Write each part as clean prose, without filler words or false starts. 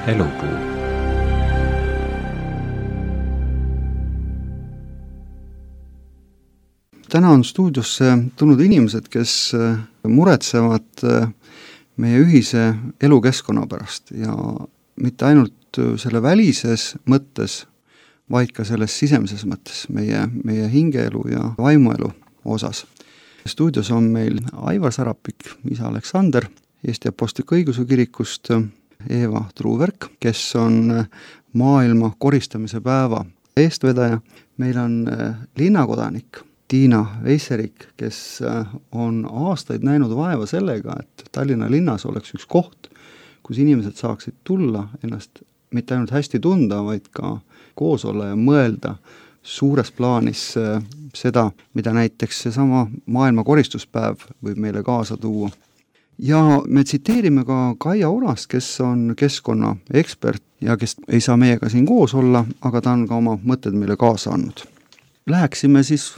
Elupuu. Täna on stuudiosse tulnud inimesed, kes muretsevad meie ühise elukeskkonna pärast ja mitte ainult selle välises mõttes, vaid ka selles sisemises mõttes, meie hingeelu ja vaimuelu osas. Stuudios on meil Aivar Sarapik, isa Aleksander, Eesti Apostlik-Õigeusu Kirikust, Eeva Truuverk, kes on maailma koristamise päeva eestvedaja. Meil on linnakodanik Tiina Veisserik, kes on aastaid näinud vaeva sellega, et Tallinna linnas oleks üks koht, kus inimesed saaksid tulla ennast mitte ainult hästi tunda, vaid ka koos olla ja mõelda suures plaanis seda, mida näiteks seesama maailma koristuspäev võib meile kaasa tuua. Ja me tsiteerime ka Kaia Orast, kes on keskkonnaekspert ja kes ei saa meiega siin koos olla, aga ta on ka oma mõtted meile kaasa andnud. Läheksime siis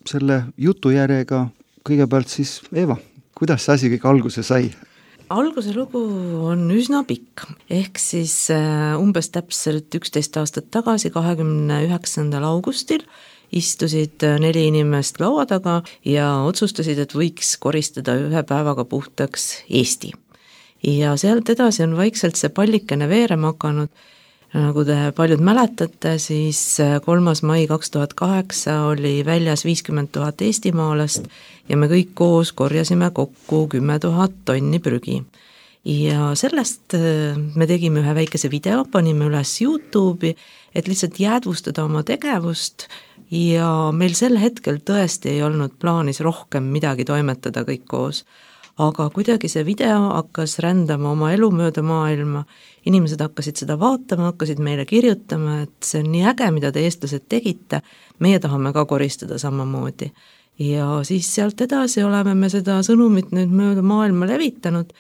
selle jutujärjega kõigepealt siis, Eeva, kuidas see asi kõik alguse sai? Alguse lugu on üsna pikk, ehk siis umbes täpselt 11 aastat tagasi, 29. augustil istusid 4 inimest laua taga ja otsustasid, et võiks koristada ühe päevaga puhtaks Eesti. Ja sealt edasi on vaikselt see pallikene veerema hakanud. Nagu te paljud mäletate, siis 3. mai 2008 oli väljas 50 000 eestimaalast ja me kõik koos korjasime kokku 10 000 tonni prügi. Ja sellest me tegime ühe väikese video, panime üles YouTube'i, et lihtsalt jäädvustada oma tegevust ja meil sel hetkel tõesti ei olnud plaanis rohkem midagi toimetada kõik koos. Aga kuidagi see video hakkas rändama oma elu mööda maailma, inimesed hakkasid seda vaatama, hakkasid meile kirjutama, et see on nii äge, mida te eestlased tegite, meie tahame ka koristada samamoodi. Ja siis sealt edasi oleme me seda sõnumit nüüd mööda maailma levitanud,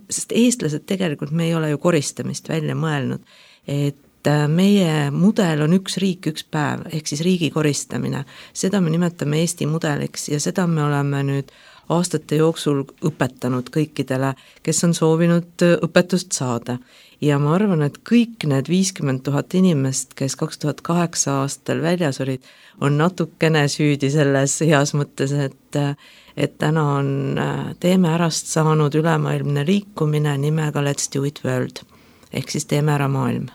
sest eestlased tegelikult me ei ole ju koristamist välja mõelnud, et meie mudel on üks riik, üks päev, ehk siis riigi koristamine. Seda me nimetame Eesti mudeliks ja seda me oleme nüüd aastate jooksul õpetanud kõikidele, kes on soovinud õpetust saada. Ja ma arvan, et kõik need 50 000 inimest, kes 2008 aastal väljas olid, on natukene süüdi selles heas mõttes, et täna on Teeme ärast saanud ülemaailmne liikumine nimega Let's Do It World, ehk siis Teeme ära maailm.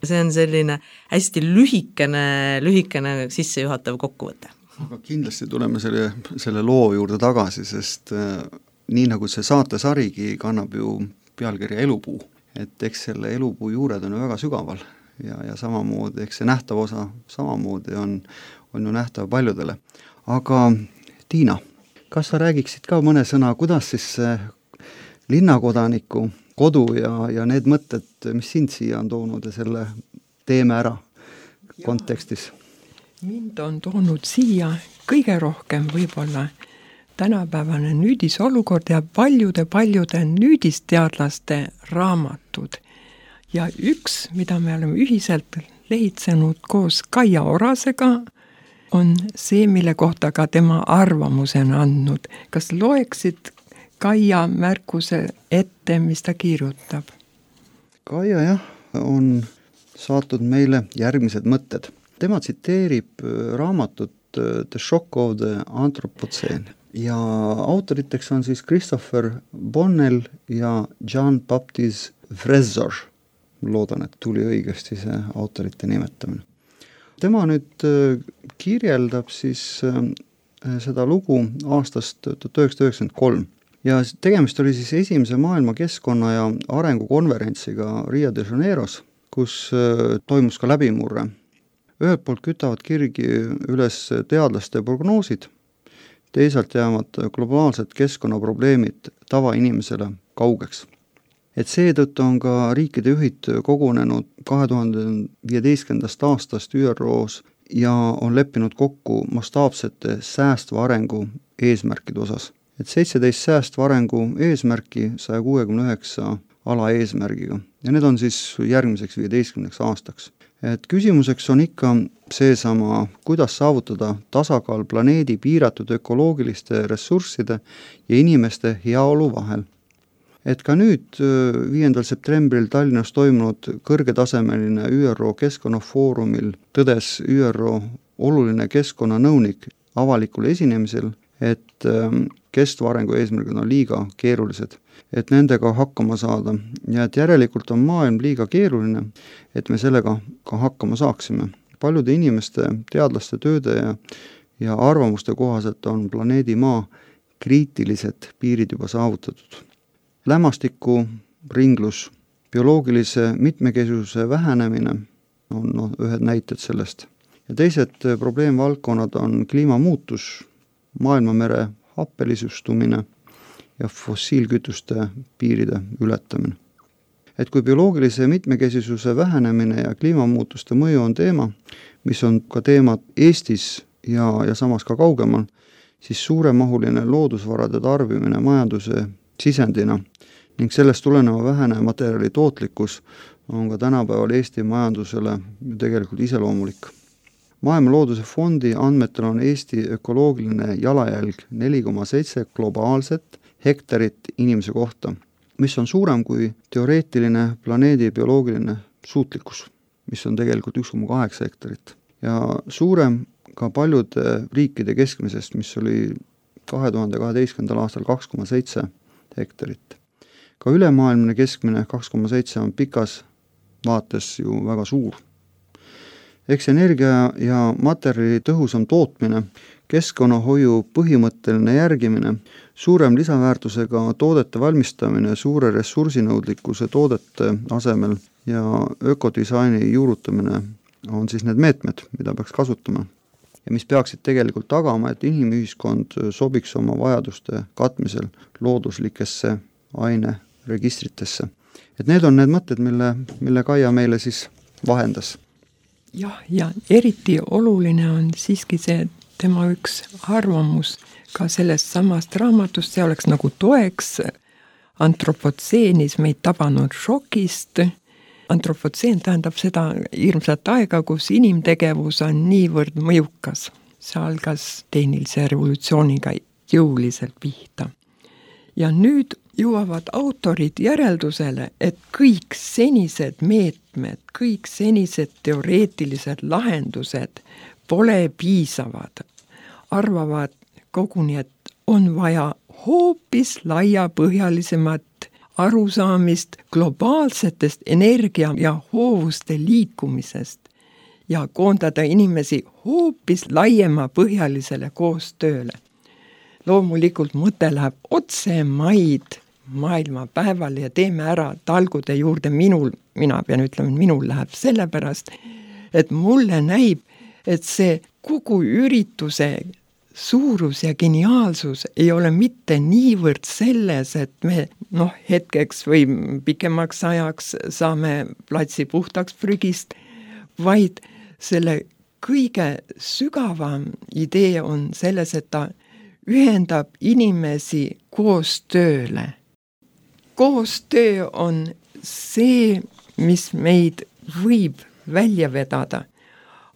See on selline hästi lühikene sissejuhatav kokkuvõte. Aga kindlasti tuleme selle loo juurde tagasi, sest nii nagu see saatesarigi kannab ju pealkirja Elupuu, et eks selle elupuu juured on ju väga sügaval ja samamoodi, eks see nähtav osa samamoodi on ju nähtav paljudele. Aga Tiina, kas sa räägiksid ka mõne sõna, kuidas siis linnakodaniku kodu ja need mõtted, mis sind siia on toonud ja selle Teeme ära kontekstis? Mind on toonud siia kõige rohkem võib-olla tänapäevane nüüdisolukord ja paljude nüüdisteadlaste raamatud. Ja üks, mida me oleme ühiselt lehitsenud koos Kaia Orasega, on see, mille kohta ka tema arvamuse on andnud. Kas loeksid Kaia märkuse ette, mis ta kirjutab? Kaia jah, on saatnud meile järgmised mõtted. Tema tsiteerib raamatut The Shock of the Anthropocene ja autoriteks on siis Christopher Bonnell ja Jean-Baptiste Frezor. Loodan, et tuli õigesti see autorite nimetamine. Tema nüüd kirjeldab siis seda lugu aastast 1993 ja tegemist oli siis esimese maailma keskkonna ja arengukonverentsiga Rio de Janeiros, kus toimus ka läbimurre. Ühelt poolt kütavad kirgi üles teadlaste prognoosid, teisalt jäävad globaalsed keskkonnaprobleemid tavainimesele kaugeks. Et seetõttu on ka riikide juhid kogunenud 2015. aastast ÜROs ja on leppinud kokku mastaapsete säästva arengu eesmärkide osas. Et 17 säästva arengu eesmärki 169 alaeesmärgiga ja need on siis järgmiseks 15 aastaks. Et küsimuseks on ikka seesama, kuidas saavutada tasakaal planeedi piiratud ökoloogiliste ressursside ja inimeste heaolu vahel. et ka nüüd 5. septembril Tallinnas toimunud kõrgetasemeline ÜRO keskkonnafoorumil tõdes ÜRO oluline keskkonnanõunik avalikul esinemisel, et kestva arengu eesmärgid on liiga keerulised, et nendega hakkama saada ja et järelikult on maailm liiga keeruline, et me sellega ka hakkama saaksime. Paljude inimeste, teadlaste tööde ja arvamuste kohaselt on planeedi Maa kriitilised piirid juba saavutatud. Lämmastiku ringlus, bioloogilise mitmekesisuse vähenemine on ühed näited sellest. Ja teised probleemvaldkonnad on kliimamuutus, maailmamere happelisustumine ja fossiilkütuste piiride ületamine. Et kui bioloogilise mitmekesisuse vähenemine ja kliimamuutuste mõju on teema, mis on ka teemad Eestis ja samas ka kaugemal, siis suuremahuline loodusvarade tarbimine majanduse sisendina ning sellest tuleneva vähene materjali tootlikkus on ka tänapäeval Eesti majandusele tegelikult iseloomulik. Maailma Looduse Fondi andmetel on Eesti ökoloogiline jalajälg 4,7 globaalset hektarit inimese kohta, mis on suurem kui teoreetiline planeedi bioloogiline suutlikkus, mis on tegelikult 1,8 hektarit. Ja suurem ka paljude riikide keskmisest, mis oli 2012. aastal 2,7 hektarit. Ka ülemaailmne keskmine 2,7 on pikas vaates ju väga suur. Eks energia ja materjali tõhusam tootmine, keskkonnahoiu põhimõtteline järgimine, suurem lisaväärtusega toodete valmistamine suure ressursinõudlikkuse toodete asemel ja ökodisaini juurutamine on siis need meetmed, mida peaks kasutama ja mis peaksid tegelikult tagama, et inimühiskond sobiks oma vajaduste katmisel looduslikesse aineregistritesse. Et need on need mõtted, mille Kaia meile siis vahendas. Jah, ja eriti oluline on siiski see tema üks arvamus ka sellest samast raamatust, see oleks nagu toeks antropotseenis meid tabanud šokist. Antropotseen tähendab seda hirmsat aega, kus inimtegevus on niivõrd mõjukas. See algas tehnilise revolutsiooniga jõuliselt pihta. Ja nüüd jõuavad autorid järeldusele, et kõik senised meetmed, kõik senised teoreetilised lahendused pole piisavad. Arvavad koguni, et on vaja hoopis laiapõhjalisemat arusaamist globaalsetest energia- ja hoovuste liikumisest ja koondada inimesi hoopis laiemapõhjalisele koostööle. Loomulikult mõte läheb otse maid maailmapäeval ja teeme ära talgude juurde mina pean ütlema, minul läheb sellepärast, et mulle näib, et see kogu ürituse suurus ja geniaalsus ei ole mitte niivõrd selles, et me hetkeks või pikemaks ajaks saame platsi puhtaks prügist, vaid selle kõige sügavam idee on selles, et ta ühendab inimesi koostööle. Koostöö on see, mis meid võib välja vedada,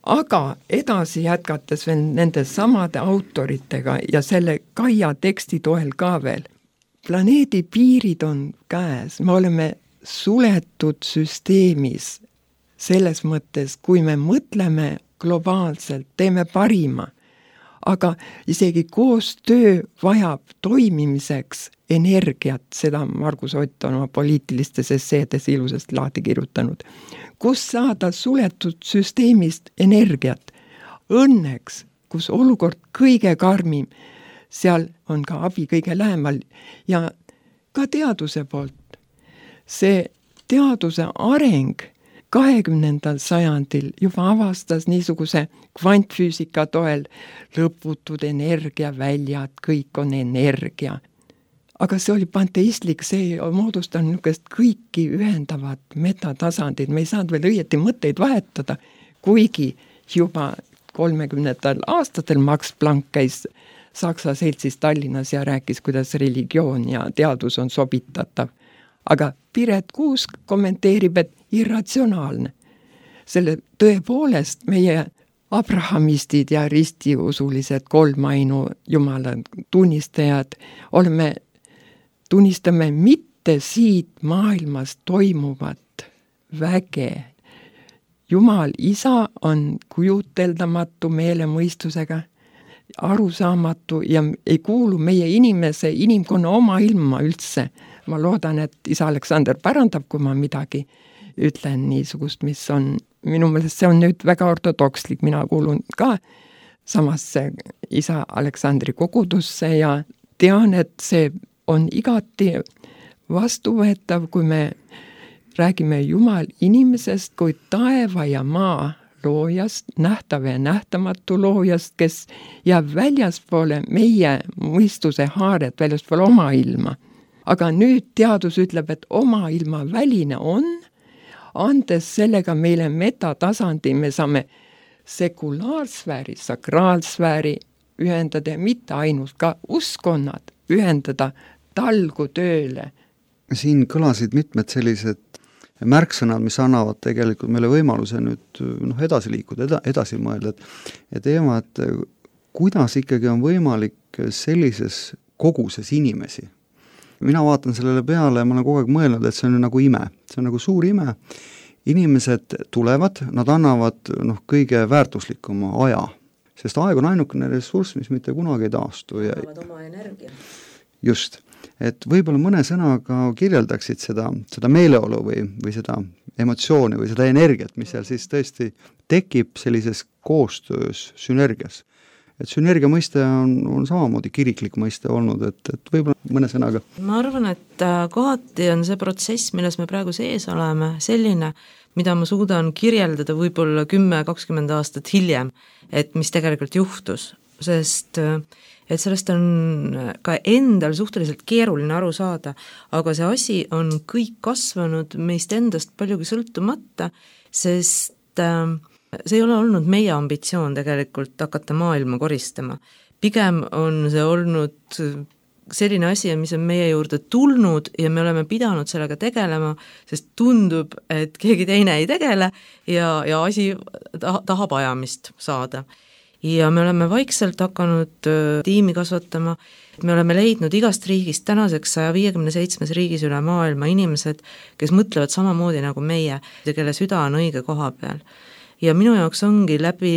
aga edasi jätkates veel nende samade autoritega ja selle Kaia teksti toel ka veel. Planeedi piirid on käes, me oleme suletud süsteemis selles mõttes, kui me mõtleme globaalselt, teeme parima. Aga isegi koostöö vajab toimimiseks energiat, seda Margus Ott on oma poliitilistes esseedes ilusasti lahti kirjutanud. Kus saada suletud süsteemist energiat? Õnneks, kus olukord kõige karmim, seal on ka abi kõige lähemal ja ka teaduse poolt. See teaduse areng 20. sajandil juba avastas niisuguse kvantfüüsika toel lõputud energiaväljad, kõik on energia. Aga see oli panteistlik, see moodustan niisugust kõiki ühendavat metatasandit, me ei saanud veel õieti mõtteid vahetada, kuigi juba 30. aastatel Max Planck käis Saksa seltsis Tallinnas ja rääkis, kuidas religioon ja teadus on sobitatav. Aga Piret Kuusk kommenteerib, et irratsionaalne. Selle tõepoolest meie abrahamistid ja ristiusulised kolmainu jumala tunnistajad tunnistame mitte mitte siit maailmas toimuvat väge. Jumal isa on kujuteldamatu meelemõistusega, arusaamatu ja ei kuulu meie inimkonna oma ilma üldse. Ma loodan, et isa Aleksander pärandab, kui ma midagi ütlen niisugust, mis on, minu meelest see on nüüd väga ortodokslik, mina kuulun ka samasse isa Aleksandri kogudusse ja tean, et see on igati vastuvõetav, kui me räägime Jumal inimesest kui taeva ja maa loojast, nähtav ja nähtamatu loojast, kes jääb väljaspoole meie mõistuse haaret, väljaspoole oma ilma. Aga nüüd teadus ütleb, et oma ilma väline on, andes sellega meile metatasandi, me saame sekulaarsfääri, sakraalsfääri ühendada ja mitte ainult ka uskonnad ühendada talgu tööle. Siin kõlasid mitmed sellised märksõnad, mis annavad tegelikult meile võimaluse nüüd edasi liikuda, edasi mõelda, et teema, et kuidas ikkagi on võimalik sellises koguses inimesi. Mina vaatan sellele peale ja ma olen kogu aeg mõelnud, et see on nagu ime, see on nagu suur ime. Inimesed tulevad, nad annavad kõige väärtuslikuma aja, sest aeg on ainukene ressurss, mis mitte kunagi ei taastu. Annavad oma energia. Just. Et võib-olla mõne sõnaga kirjeldaksid seda meeleolu või seda emotsiooni või seda energiat, mis seal siis tõesti tekib sellises koostöös, sünergias. Et sünergia mõiste on samamoodi kiriklik mõiste olnud, et võib-olla mõne sõnaga. Ma arvan, et kohati on see protsess, milles me praegu sees oleme, selline, mida ma suudan kirjeldada võib-olla 10-20 aastat hiljem, et mis tegelikult juhtus, sest et sellest on ka endal suhteliselt keeruline aru saada, aga see asi on kõik kasvanud meist endast paljugi sõltumata, sest see ei ole olnud meie ambitsioon tegelikult hakata maailma koristama. Pigem on see olnud selline asi, mis on meie juurde tulnud ja me oleme pidanud sellega tegelema, sest tundub, et keegi teine ei tegele ja asi tahab ajamist saada. Ja me oleme vaikselt hakanud tiimi kasvatama, me oleme leidnud igast riigist tänaseks 157 riigis üle maailma inimesed, kes mõtlevad samamoodi nagu meie ja kelle süda on õige koha peal. Ja minu jaoks ongi läbi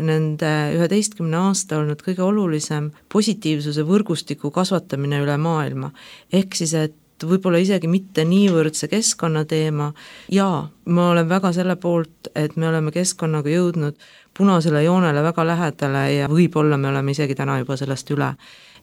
nende 11 aasta olnud kõige olulisem positiivsuse võrgustiku kasvatamine üle maailma. Ehk siis, et võib-olla isegi mitte niivõrd see keskkonnateema ja ma olen väga selle poolt, et me oleme keskkonnaga jõudnud punasele joonele väga lähedale ja võib-olla me oleme isegi täna juba sellest üle.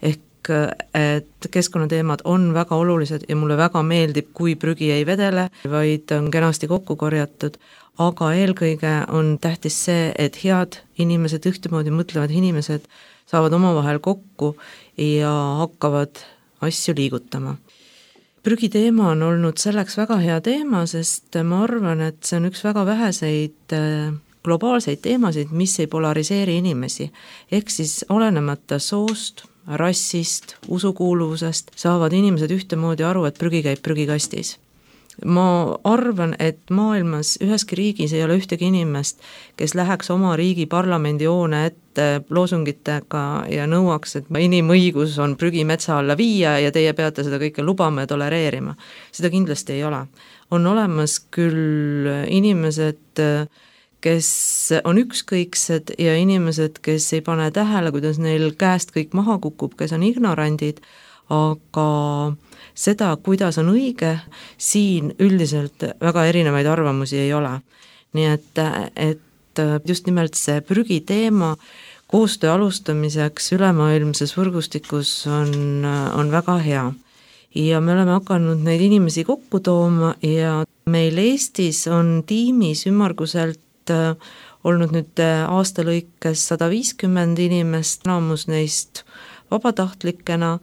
Ehk et keskkonnateemad on väga olulised ja mulle väga meeldib, kui prügi ei vedele, vaid on kenasti kokku korjatud, aga eelkõige on tähtis see, et head inimesed, ühtemoodi mõtlevad inimesed saavad omavahel kokku ja hakkavad asju liigutama. Prügiteema on olnud selleks väga hea teema, sest ma arvan, et see on üks väga väheseid globaalseid teemasid, mis ei polariseeri inimesi. Ehk siis olenemata soost, rassist, usukuuluvusest saavad inimesed ühtemoodi aru, et prügi käib prügikastis. Ma arvan, et maailmas üheski riigis ei ole ühtegi inimest, kes läheks oma riigi parlamendi hoone ette loosungitega ja nõuaks, et inimõigus on prügi metsa alla viia ja teie peate seda kõike lubama ja tolereerima. Seda kindlasti ei ole. On olemas küll inimesed, kes on ükskõiksed ja inimesed, kes ei pane tähele, kuidas neil käest kõik maha kukub, kes on ignorandid, aga seda, kuidas on õige, siin üldiselt väga erinevaid arvamusi ei ole. Nii et just nimelt see prügiteema koostöö alustamiseks ülemaailmses võrgustikus on väga hea. Ja me oleme hakanud neid inimesi kokku tooma ja meil Eestis on tiimis ümmarguselt olnud nüüd aasta lõikes 150 inimest, enamus neist vabatahtlikena,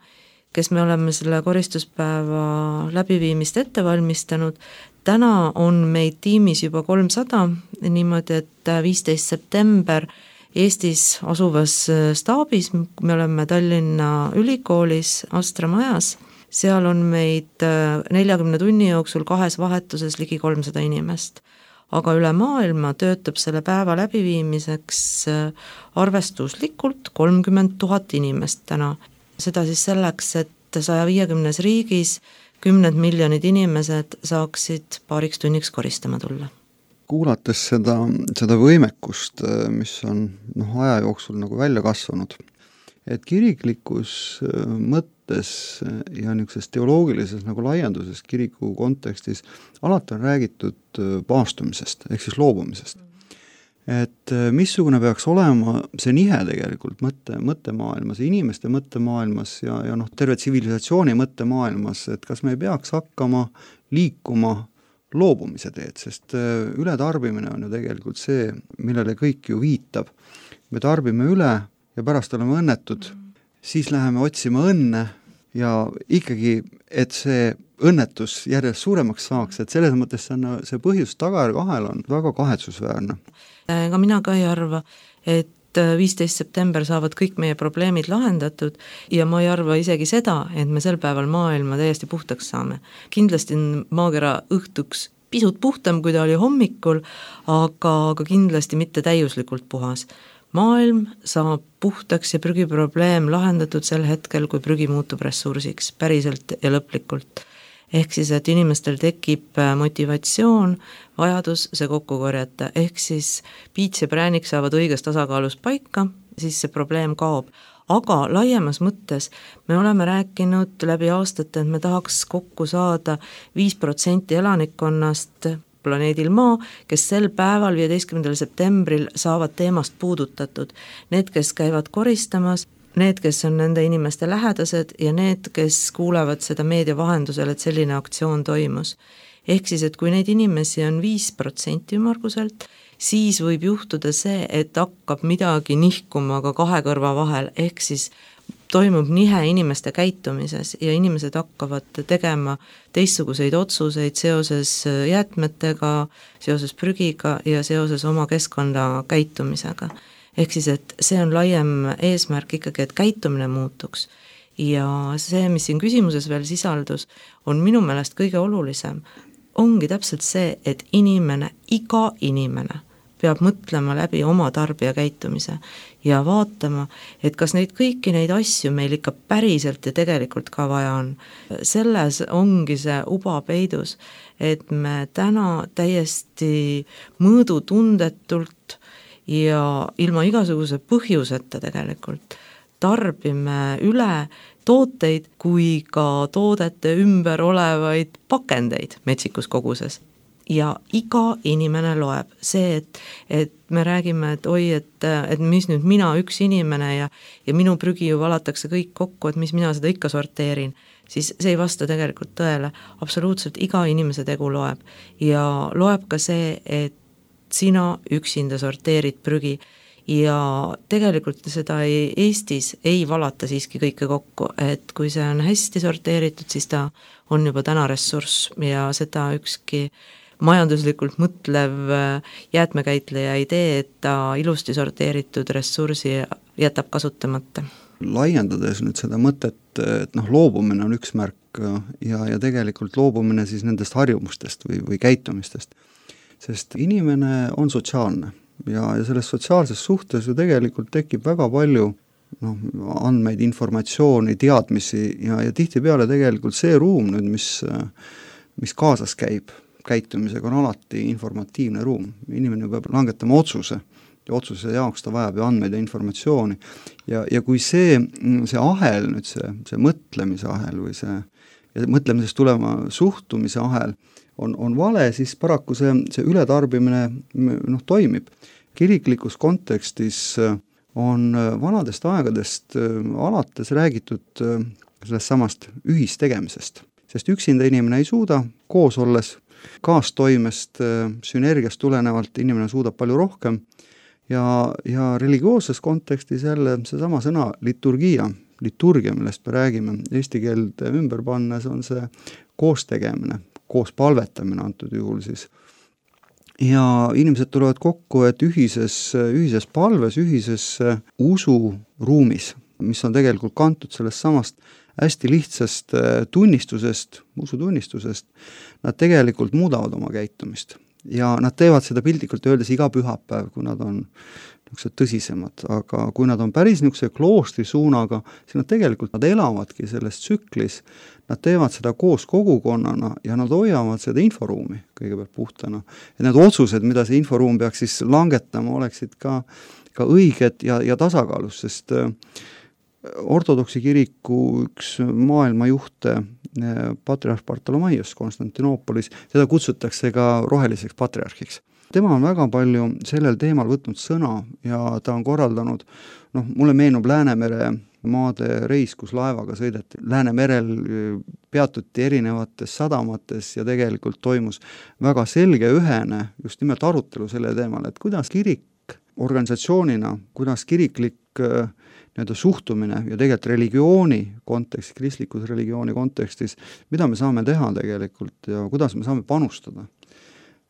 kes me oleme selle koristuspäeva läbiviimist ette valmistanud. Täna on meid tiimis juba 300, niimoodi, et 15. september Eestis asuvas staabis, me oleme Tallinna Ülikoolis Astra majas, seal on meid 40 tunni jooksul 2 vahetuses ligi 300 inimest. Aga üle maailma töötab selle päeva läbiviimiseks arvestuslikult 30 000 inimest täna. Seda siis selleks, et 150 riigis 10 miljonid inimesed saaksid paariks tunniks koristama tulla. Kuulates seda võimekust, mis on aja jooksul nagu välja kasvanud, et kiriklikus mõttes ja niisuguses teoloogilises nagu laienduses kiriku kontekstis alati on räägitud paastumisest ehk siis loobumisest. Et missugune peaks olema see nihe tegelikult mõttemaailmas, inimeste mõttemaailmas ja terve tsivilisatsiooni mõttemaailmas, et kas me ei peaks hakkama liikuma loobumise teed, sest ületarbimine on ju tegelikult see, millele kõik ju viitab. Me tarbime üle ja pärast oleme õnnetud, siis läheme otsima õnne ja ikkagi, et see õnnetus järjest suuremaks saaks, et selles mõttes see põhjus-tagajärg ahel on väga kahetsusväärne. Ega mina ka ei arva, et 15. september saavad kõik meie probleemid lahendatud ja ma ei arva isegi seda, et me sel päeval maailma täiesti puhtaks saame. Kindlasti on maakera õhtuks pisut puhtam, kui ta oli hommikul, aga kindlasti mitte täiuslikult puhas. Maailm saab puhtaks ja prügiprobleem lahendatud sel hetkel, kui prügi muutub ressursiks, päriselt ja lõplikult. Ehk siis, et inimestel tekib motivatsioon, vajadus see kokku korjata, ehk siis piits ja präänik saavad õiges tasakaalus paika, siis see probleem kaob. Aga laiemas mõttes me oleme rääkinud läbi aastate, et me tahaks kokku saada 5% elanikkonnast planeedil Maa, kes sel päeval 15. septembril saavad teemast puudutatud. Need, kes käivad koristamas, need, kes on nende inimeste lähedased ja need, kes kuulevad seda meedia vahendusel, et selline aktsioon toimus. Ehk siis, et kui neid inimesi on 5% ümmarguselt, siis võib juhtuda see, et hakkab midagi nihkuma ka kahe kõrva vahel, ehk siis toimub nihe inimeste käitumises ja inimesed hakkavad tegema teistsuguseid otsuseid seoses jäätmetega, seoses prügiga ja seoses oma keskkonna käitumisega. Ehk siis, et see on laiem eesmärk ikkagi, et käitumine muutuks. Ja see, mis siin küsimuses veel sisaldus, on minu meelest kõige olulisem. Ongi täpselt see, et iga inimene peab mõtlema läbi oma tarbija käitumise ja vaatama, et kas kõiki neid asju meil ikka päriselt ja tegelikult ka vaja on. Selles ongi see uba peidus, et me täna täiesti mõõdutundetult ja ilma igasuguse põhjuseta tegelikult tarbime üle tooteid kui ka toodete ümber olevaid pakendeid metsikus koguses. Ja iga inimene loeb. See, et me räägime, et oi, et mis nüüd mina üks inimene ja minu prügi ju valatakse kõik kokku, et mis mina seda ikka sorteerin, siis see ei vasta tegelikult tõele. Absoluutselt iga inimese tegu loeb. Ja loeb ka see, et sina üksinda sorteerid prügi ja tegelikult seda Eestis ei valata siiski kõike kokku, et kui see on hästi sorteeritud, siis ta on juba täna ressurss ja seda ükski majanduslikult mõtlev jäätmekäitleja ei tee, et ta ilusti sorteeritud ressursi jätab kasutamata. Laiendades nüüd seda mõtet, et loobumine on üks märk ja tegelikult loobumine siis nendest harjumustest või käitumistest, sest inimene on sotsiaalne ja selles sotsiaalses suhtes ju tegelikult tekib väga palju andmeid, informatsiooni, teadmisi ja tihtipeale tegelikult see ruum nüüd, mis kaasas käib käitumisega, on alati informatiivne ruum. Inimene peab langetama otsuse ja otsuse jaoks ta vajab ju andmeid ja informatsiooni. Ja kui see ahel, nüüd see mõtlemise ahel või see mõtlemisest tulema suhtumise ahel on vale, siis paraku see ületarbimine toimib. Kiriklikus kontekstis on vanadest aegadest alates räägitud sellest samast ühistegemisest, sest üksinda inimene ei suuda, koos olles kaastoimest, sünergiast tulenevalt inimene suudab palju rohkem ja religioosses kontekstis jälle seesama sõna liturgia, millest me räägime, eesti keelde ümber pannes on see koos tegemine, koos palvetamine antud juhul siis. Ja inimesed tulevad kokku, et ühises palves, ühises usuruumis, mis on tegelikult kantud sellest samast hästi lihtsast tunnistusest, usutunnistusest, nad tegelikult muudavad oma käitumist. Ja nad teevad seda piltlikult öeldes iga pühapäev, kui nad on niisugused tõsisemad, aga kui nad on päris niisuguse kloostri suunaga, siis nad elavadki selles tsüklis, nad teevad seda koos kogukonnana ja nad hoiavad seda inforuumi kõigepealt puhtana. Et need otsused, mida see inforuum peaks siis langetama, oleksid ka õiged ja tasakaalus, sest ortodoksi kiriku üks maailma juhte, patriarh Bartolomaios Konstantinoopolis, teda kutsutakse ka roheliseks patriarhiks. Tema on väga palju sellel teemal võtnud sõna ja ta on korraldanud, mulle meenub Läänemere maade reis, kus laevaga sõideti. Läänemerel peatuti erinevates sadamates ja tegelikult toimus väga selge ühene just nimelt arutelu selle teemal, et kuidas kirik organisatsioonina, kuidas kiriklik suhtumine ja tegelikult religiooni kontekstis, kristlikus religiooni kontekstis, mida me saame teha tegelikult ja kuidas me saame panustada.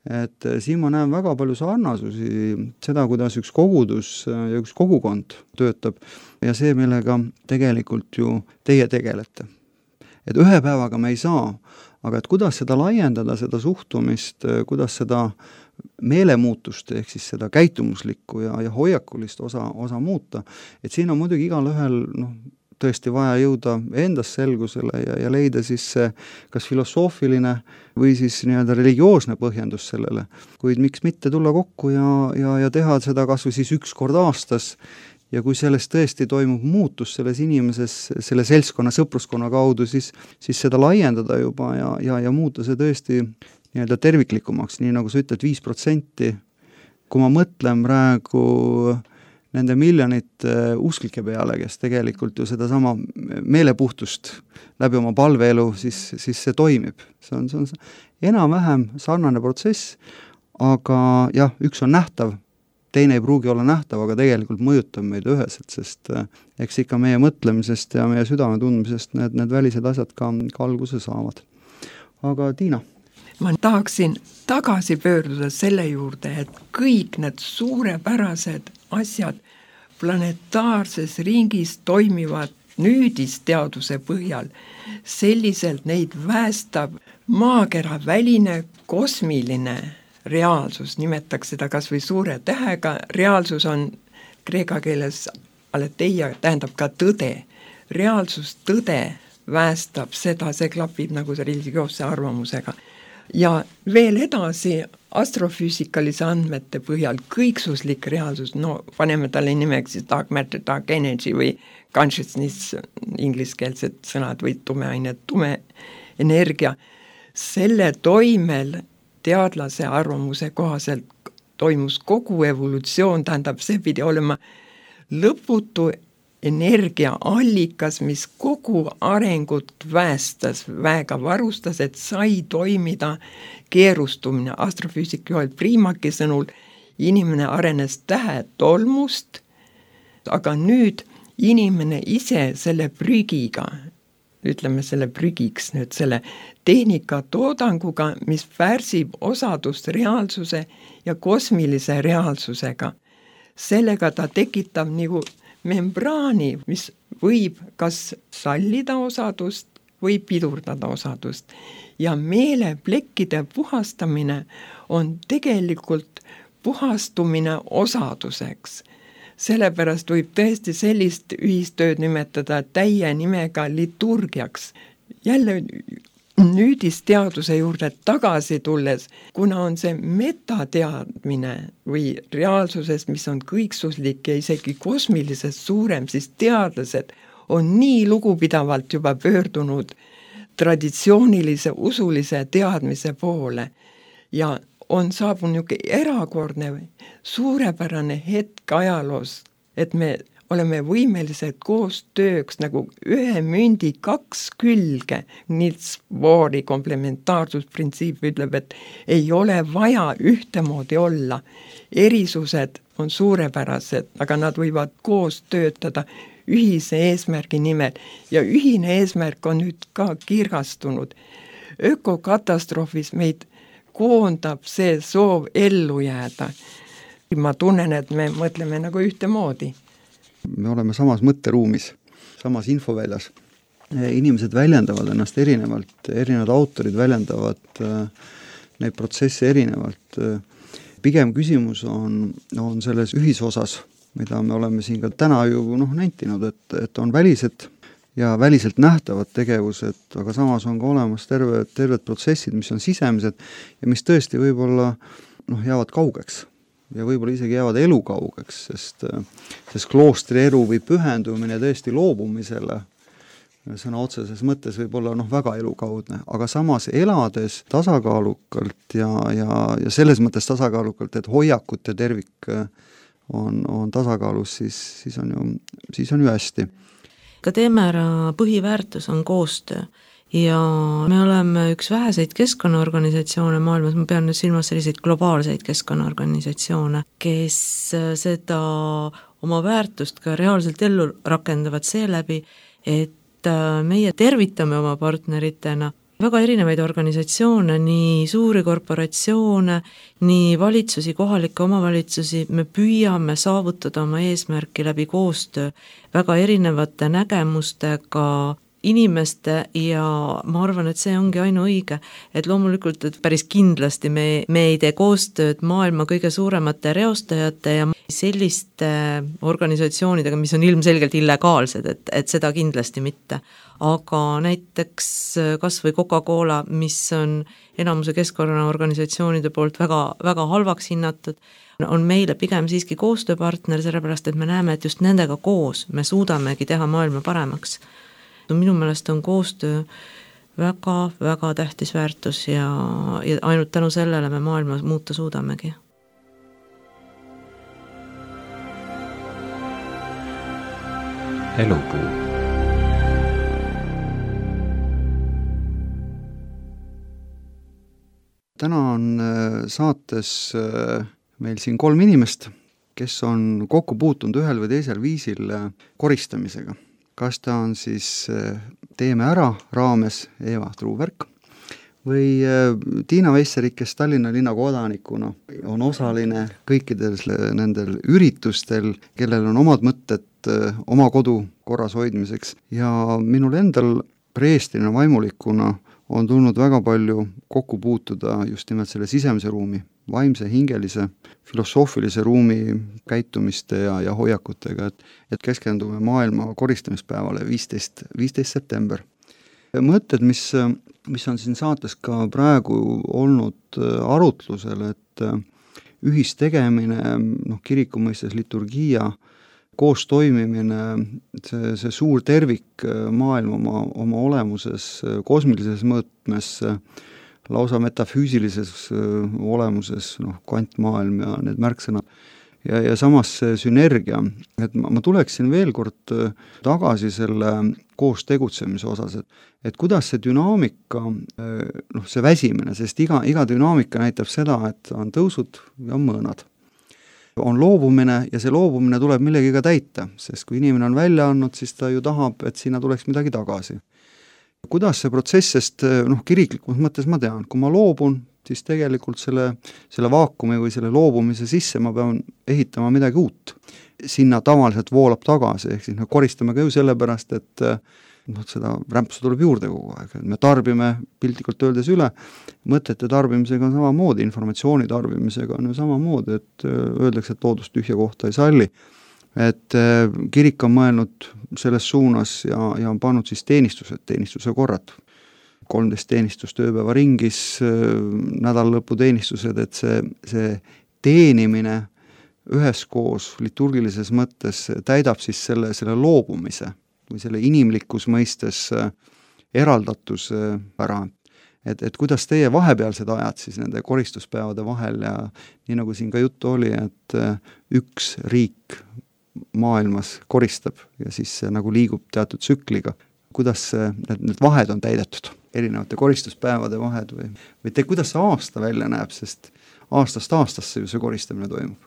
Et siin ma näen väga palju sarnasusi seda, kuidas üks kogudus ja üks kogukond töötab ja see, millega tegelikult ju teie tegelete. Et ühe päevaga me ei saa, aga et kuidas seda laiendada, seda suhtumist, kuidas seda meelemuutust ehk siis seda käitumuslikku ja hoiakulist osa muuta, et siin on muidugi igal ühel tõesti vaja jõuda endas selgusele ja leida siis see kas filosoofiline või siis nii-öelda religioosne põhjendus sellele, kuid miks mitte tulla kokku ja teha seda kas või siis üks kord aastas ja kui sellest tõesti toimub muutus selles inimeses, selle seltskonna, sõpruskonna kaudu, siis seda laiendada juba ja muuta see tõesti nii-öelda terviklikumaks, nii nagu sa ütled, 5%, kui ma mõtlen praegu nende miljonite usklike peale, kes tegelikult ju sedasama meelepuhtust läbi oma palveelu, siis see toimib. See on enam-vähem sarnane protsess, aga jah, üks on nähtav, teine ei pruugi olla nähtav, aga tegelikult mõjutab meid üheselt, sest eks ikka meie mõtlemisest ja meie südame tundmisest need välised asjad ka alguse saavad. Aga Tiina? Ma tahaksin tagasi pöörduda selle juurde, et kõik need suurepärased asjad planetaarses ringis toimivad nüüdisteaduse põhjal. Selliselt neid väestab maakera väline kosmiline reaalsus, nimetaks seda kas või suure tähega, reaalsus on kreeka keeles aletheia, tähendab ka tõde. Reaalsus, tõde väestab seda, see klapib nagu see religioosse arvamusega. Ja veel edasi astrofüüsikalise andmete põhjal kõiksuslik reaalsus, paneme talle nimeks siis dark matter, dark energy või consciousness, ingliskeelsed sõnad või tumeaine, tume energia. Selle toimel teadlase arvamuse kohaselt toimus kogu evolutsioon, tähendab, see pidi olema lõputu energiaallikas, mis kogu arengut väestas, väega varustas, et sai toimida keerustumine. Astrofüüsik Joel Priimaki sõnul inimene arenes tähetolmust, aga nüüd inimene ise selle prügiga, ütleme selle prügiks nüüd selle tehnika toodanguga, mis pärsib osadust reaalsuse ja kosmilise reaalsusega. Sellega ta tekitab nagu membraani, mis võib kas sallida osadust või pidurdada osadust. Ja meeleplekkide puhastamine on tegelikult puhastumine osaduseks. Sellepärast võib tõesti sellist ühistööd nimetada täie nimega liturgiaks. Jälle nüüdisteaduse juurde tagasi tulles, kuna on see metateadmine või reaalsusest, mis on kõiksuslik ja isegi kosmilisest suurem, siis teadlased on nii lugupidavalt juba pöördunud traditsioonilise usulise teadmise poole ja on saabunud erakordne suurepärane hetk ajaloos, et me oleme võimelised koostööks nagu ühe mündi kaks külge. Niels Bohri komplementaarssusprintsiip ütleb, et ei ole vaja ühtemoodi olla. Erisused on suurepärased, aga nad võivad koos töötada ühise eesmärgi nimel ja ühine eesmärk on nüüd ka kirgastunud. Ökokatastroofis meid koondab see soov ellu jääda. Ma tunnen, et me mõtleme nagu ühtemoodi. Me oleme samas mõtteruumis, samas infoväljas. Inimesed väljendavad ennast erinevalt, erinevad autorid väljendavad neid protsesse erinevalt. pigem küsimus on selles ühisosas, mida me oleme siin ka täna ju nentinud, et on välised ja väliselt nähtavad tegevused, aga samas on ka olemas terved protsessid, mis on sisemised ja mis tõesti võib-olla jäävad kaugeks ja võib-olla isegi jäävad elukaugeks, sest kloostri elu või pühendumine tõesti loobumisele sõna otseses mõttes võib olla väga elukaudne, aga samas elades tasakaalukalt ja selles mõttes tasakaalukalt, et hoiakut ja tervik on tasakaalus, siis on ju hästi. Ka Teemera põhiväärtus on koostöö ja me oleme üks väheseid keskkonnaorganisatsioone maailmas, ma pean nüüd silmas selliseid globaalseid keskkonnaorganisatsioone, kes seda oma väärtust ka reaalselt ellu rakendavad seeläbi, et meie tervitame oma partneritena väga erinevaid organisatsioone, nii suuri korporatsioone, nii valitsusi, kohalikke omavalitsusi, me püüame saavutada oma eesmärki läbi koostöö väga erinevate nägemustega inimeste ja ma arvan, et see ongi ainuõige, et loomulikult, et päris kindlasti me ei tee koostööd maailma kõige suuremate reostajate ja selliste organisatsioonidega, mis on ilmselgelt illegaalsed, et seda kindlasti mitte. Aga näiteks kas või Coca-Cola, mis on enamuse keskkonnaorganisatsioonide poolt väga, väga halvaks hinnatud, on meile pigem siiski koostööpartner, sellepärast et me näeme, et just nendega koos me suudamegi teha maailma paremaks. Minu meelest on koostöö väga, väga tähtis väärtus ja ainult tänu sellele me maailma muuta suudamegi. Elupuu. Täna on saates meil siin 3 inimest, kes on kokku puutunud ühel või teisel viisil koristamisega. Kas ta on siis Teeme ära raames Eva Truuberg või Tiina Veisserik, kes Tallinna linna kodanikuna on osaline kõikidel nendel üritustel, kellel on omad mõtted oma kodu korras hoidmiseks ja minul endal preestrina vaimulikuna on tulnud väga palju kokku puutuda just nimelt selle sisemise ruumi, vaimse, hingelise, filosoofilise ruumi käitumiste ja hoiakutega, et keskendume maailma koristamispäevale 15. september. Mõtted, mis on siin saates ka praegu olnud arutlusel, et ühistegemine, kiriku mõistes liturgia, koos toimimine, see suur tervik maailm oma olemuses, kosmilises mõõtmes, lausa metafüüsilises olemuses, kvantmaailm ja need märksõnad. Ja samas see sünergia, et ma tuleksin veel kord tagasi selle koos tegutsemise osas, et kuidas see dünaamika, see väsimine, sest iga dünaamika näitab seda, et on tõusud ja mõõnad. On loobumine ja see loobumine tuleb millegiga täita, sest kui inimene on välja andnud, siis ta ju tahab, et sinna tuleks midagi tagasi. Kuidas see protsess, sest kiriklikus mõttes ma tean, kui ma loobun, siis tegelikult selle vaakumi või selle loobumise sisse ma pean ehitama midagi uut. Sinna tavaliselt voolab tagasi, ehk siis me koristame ka ju sellepärast, et seda rämpsu tuleb juurde kogu aeg. Me tarbime piltlikult öeldes üle, mõtete tarbimisega on samamoodi, informatsiooni tarbimisega on ju samamoodi, et öeldakse, et loodust tühja kohta ei salli. Et kirik on mõelnud selles suunas ja on pannud siis teenistuse korrad. 13 teenistust ööpäeva ringis, nädalalõpu teenistused, et see teenimine üheskoos liturgilises mõttes täidab siis selle loobumise või selle inimlikus mõistes eraldatuse ära. Et kuidas teie vahepealsed ajad siis nende koristuspäevade vahel ja nii nagu siin ka juttu oli, et üks riik maailmas koristab ja siis see nagu liigub teatud tsükliga. Kuidas need vahed on täidetud, erinevate koristuspäevade vahed või kuidas see aasta välja näeb, sest aastast aastasse ju see koristamine toimub?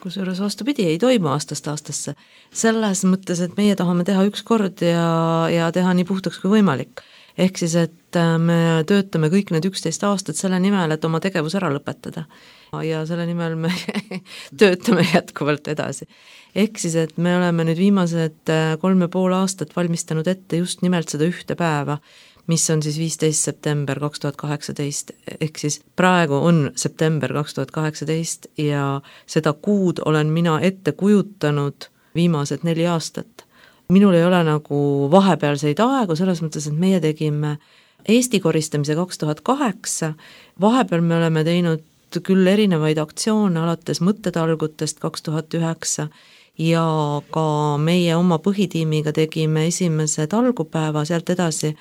Kusjuures vastupidi, ei toimu aastast aastasse. Selles mõttes, et meie tahame teha üks kord ja teha nii puhtaks kui võimalik. Ehk siis, et me töötame kõik need 11 aastat selle nimel, et oma tegevus ära lõpetada. Ja selle nimel me töötame jätkuvalt edasi. Ehk siis, et me oleme nüüd viimased 3,5 aastat valmistanud ette just nimelt seda ühte päeva, mis on siis 15. september 2018, ehk siis praegu on september 2018 ja seda kuud olen mina ette kujutanud viimased 4 aastat. Minul ei ole nagu vahepealseid aegu, selles mõttes, et meie tegime Eesti koristamise 2008, vahepeal me oleme teinud küll erinevaid aktsioone alates mõttetalgutest 2009 ja ka meie oma põhitiimiga tegime esimese talgupäeva, sealt edasi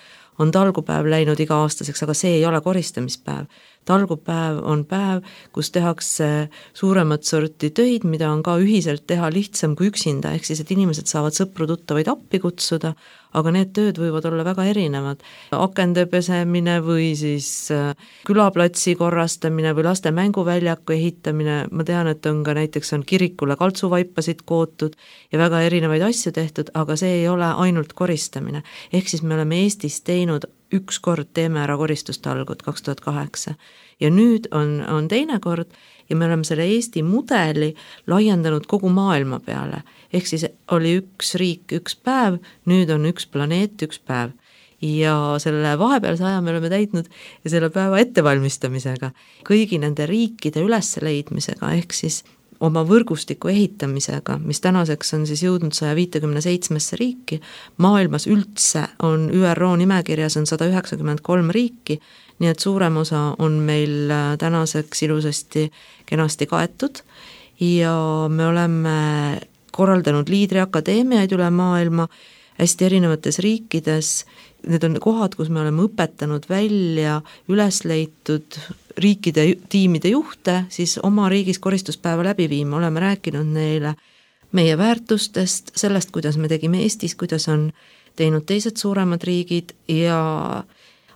on talgupäev läinud iga-aastaseks, aga see ei ole koristamispäev. Talgupäev on päev, kus tehakse suuremat sorti töid, mida on ka ühiselt teha lihtsam kui üksinda, ehk siis, et inimesed saavad sõpru-tuttavaid appi kutsuda, aga need tööd võivad olla väga erinevad. Akende pesemine või siis külaplatsi korrastamine või laste mänguväljaku ehitamine, ma tean, et on ka näiteks on kirikule kaltsuvaipasid kootud ja väga erinevaid asju tehtud, aga see ei ole ainult koristamine. Ehk siis me oleme Eestis teinud ükskord teeme ära koristustalgud 2008 ja nüüd on teine kord ja me oleme selle Eesti mudeli laiendanud kogu maailma peale. Ehk siis oli üks riik, üks päev, nüüd on üks planeet, üks päev. Ja selle vahepealse aja me oleme täitnud ja selle päeva ettevalmistamisega, kõigi nende riikide ülesleidmisega, ehk siis oma võrgustiku ehitamisega, mis tänaseks on siis jõudnud 157 riiki, maailmas üldse on ÜRO nimekirjas on 193 riiki, nii et suurem osa on meil tänaseks ilusasti kenasti kaetud ja me oleme korraldanud liidriakadeemiaid üle maailma hästi erinevates riikides. Need on kohad, kus me oleme õpetanud välja üles leitud riikide tiimide juhte, siis oma riigis koristuspäeva läbi viima, oleme rääkinud neile meie väärtustest, sellest, kuidas me tegime Eestis, kuidas on teinud teised suuremad riigid ja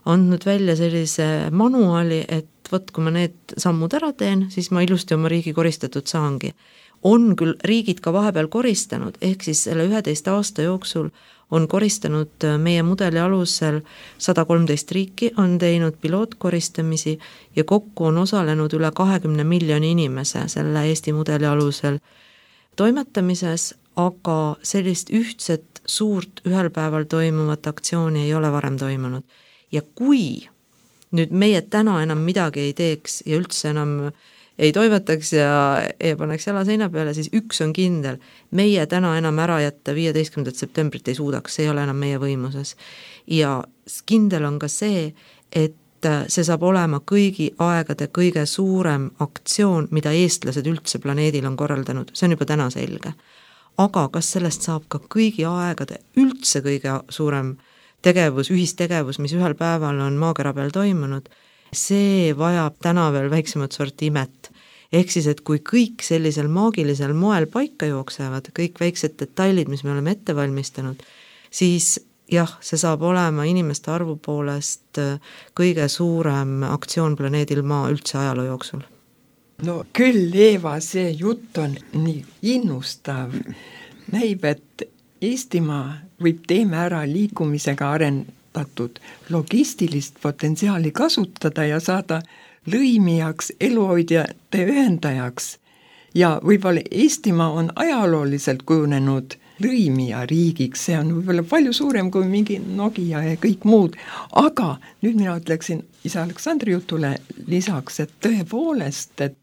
andnud välja sellise manuaali, et võt, kui ma need sammud ära teen, siis ma ilusti oma riigi koristatud saangi. On küll riigid ka vahepeal koristanud, ehk siis selle 11 aasta jooksul on koristanud meie mudeli alusel 113 riiki, on teinud pilootkoristamisi ja kokku on osalenud üle 20 miljoni inimese selle Eesti mudeli alusel toimetamises, aga sellist ühtset suurt ühel päeval toimuvat aktsiooni ei ole varem toimunud. Ja kui nüüd meie täna enam midagi ei teeks ja üldse enam ei toimetaks ja paneks jala seina peale, siis üks on kindel, meie täna enam ära jätta 15. septembrit ei suudaks, see ei ole enam meie võimuses. Ja kindel on ka see, et see saab olema kõigi aegade kõige suurem aktsioon, mida eestlased üldse planeedil on korraldanud, see on juba täna selge. Aga kas sellest saab ka kõigi aegade üldse kõige suurem tegevus, ühistegevus, mis ühel päeval on maakera peal toimunud, see vajab täna veel väiksemat sorti imet. Ehk siis, et kui kõik sellisel maagilisel moel paika jooksevad, kõik väiksed detailid, mis me oleme ette valmistanud, siis jah, see saab olema inimeste arvu poolest kõige suurem aktsioon planeedil Maa üldse ajaloo jooksul. No küll, Eeva, see jutt on nii innustav. Näib, et Eestimaa võib teeme ära liikumisega arendatud logistilist potentsiaali kasutada ja saada lõimijaks, eluhoidjate ühendajaks. Ja võib-olla Eestimaa on ajalooliselt kujunenud lõimija riigiks, see on võib-olla palju suurem kui mingi Nokia ja kõik muud, aga nüüd mina ütleksin isa Aleksandri jutule lisaks, et tõepoolest, et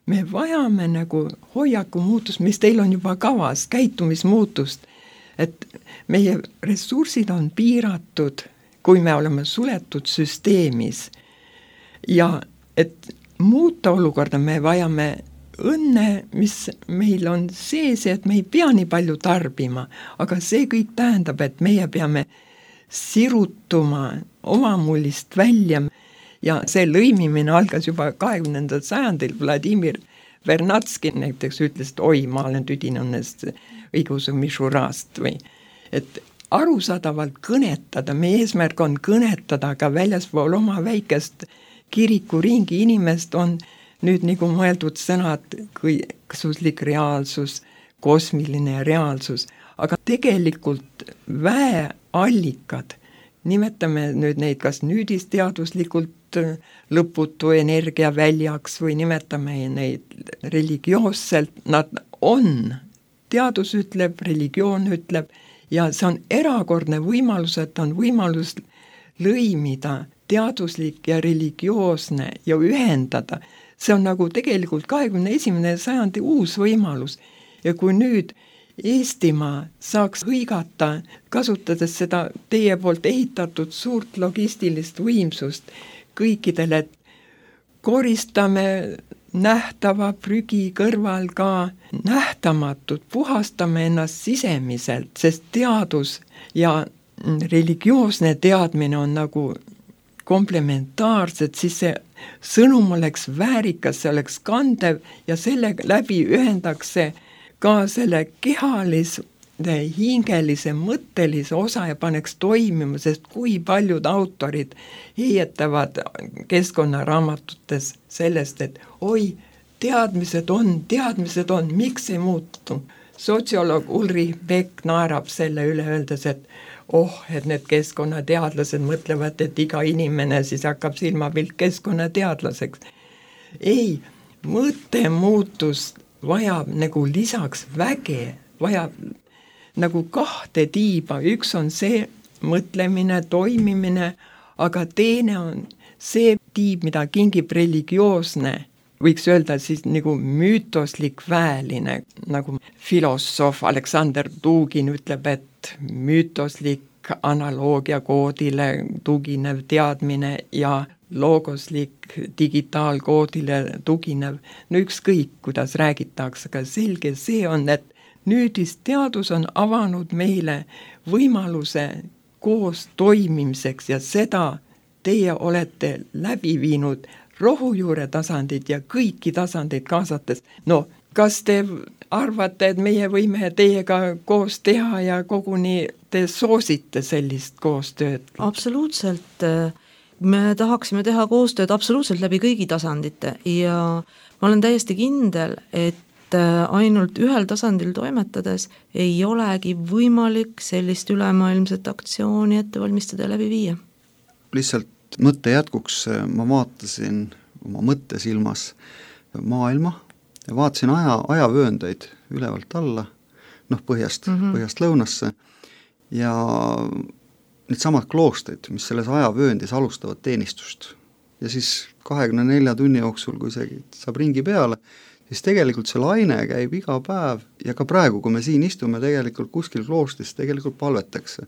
me vajame nagu hoiaku muutust, mis teil on juba kavas, käitumismuutust, et meie ressursid on piiratud, kui me oleme suletud süsteemis ja et muuta olukorda me vajame õnne, mis meil on sees, et me ei pea nii palju tarbima, aga see kõik tähendab, et meie peame sirutuma omamullist välja ja see lõimimine algas juba 20. sajandil. Vladimir Vernatski näiteks ütles, et oi, ma olen tüdinunest õiguse mišurast või et arusaadavalt kõnetada, meie eesmärk on kõnetada ka väljaspool oma väikest kirikuringi inimest on nüüd nagu mõeldud sõnad kõiksuslik reaalsus, kosmiline reaalsus, aga tegelikult väeallikad, nimetame nüüd neid kas nüüdisteaduslikult lõputu energiaväljaks või nimetame neid religioosselt, nad on, teadus ütleb, religioon ütleb ja see on erakordne võimalus, et on võimalus lõimida teaduslik ja religioosne ja ühendada. See on nagu tegelikult 21. sajandi uus võimalus. Ja kui nüüd Eestimaa saaks hõigata, kasutades seda teie poolt ehitatud suurt logistilist võimsust kõikidele, et koristame nähtava prügi kõrval ka nähtamatut, puhastame ennast sisemiselt, sest teadus ja religioosne teadmine on nagu komplementaarsed, siis see sõnum oleks väärikas, see oleks kandev ja selle läbi ühendaks see ka selle kehalise, hingelise, mõttelise osa ja paneks toimima, sest kui paljud autorid heietavad keskkonnaraamatutes sellest, et oi, teadmised on, miks ei muutu. Sotsioloog Ulrich Beck naerab selle üle, öeldes, et et need keskkonnateadlased mõtlevad, et iga inimene siis hakkab silmapilt keskkonnateadlaseks. Ei, mõttemuutus vajab nagu lisaks väge, vajab nagu kahte tiiba, üks on see mõtlemine, toimimine, aga teine on see tiib, mida kingib religioosne, võiks öelda siis nagu müütoslik väeline, nagu filosoof Aleksander Dugin ütleb, et müütoslik analoogia koodile tuginev teadmine ja loogoslik digitaalkoodile tuginev, no ükskõik, kuidas räägitakse, aga selge see on, et nüüdisteadus on avanud meile võimaluse koos toimimiseks ja seda teie olete läbi viinud rohujuure tasandid ja kõiki tasandeid kaasates. No, kas te arvate, et meie võime teiega koos teha ja koguni te soosite sellist koostööd? Absoluutselt. Me tahaksime teha koostööd absoluutselt läbi kõigi tasandite ja ma olen täiesti kindel, et ainult ühel tasandil toimetades ei olegi võimalik sellist ülemaailmset aktsiooni ette valmistada ja läbi viia. Lihtsalt mõtte jätkuks ma vaatasin oma mõttesilmas maailma ja vaatasin ajavööndeid ülevalt alla, põhjast lõunasse ja need samad kloostrid, mis selles ajavööndis alustavad teenistust ja siis 24 tunni jooksul, kui see saab ringi peale, siis tegelikult see laine käib iga päev ja ka praegu, kui me siin istume, tegelikult kuskil kloostris tegelikult palvetakse.